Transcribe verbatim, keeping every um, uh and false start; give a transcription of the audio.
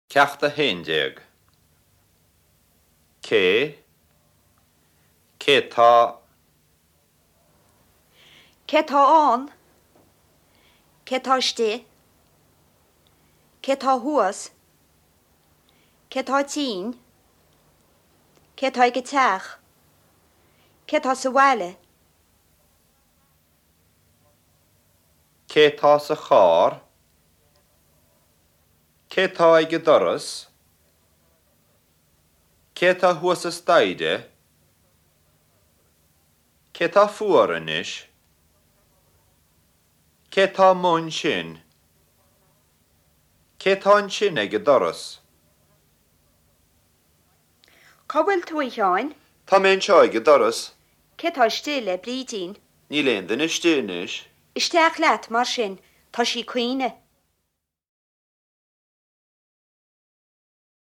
Ceacht a haon déag. Cé? Cé tá? Cé tá ann? Cé tá istigh? Cé tá thuas? Cé tá tinn? Cé tá ag an teach? Cé tá sa bhaile? Cé tá sa charr? Cé tá ag an doras? Cé tá thuas an staighre? Cé tá fuar anois? Cé tá amuigh ansin? Cé tá ansin ag an doras? Cá bhfuil tú a Sheáin? Tá mé anseo ag an doras. Cé tá istigh le Brídín? Níl aon duine istigh anois. Isteach leat mar sin, tá sí ag caoineadh.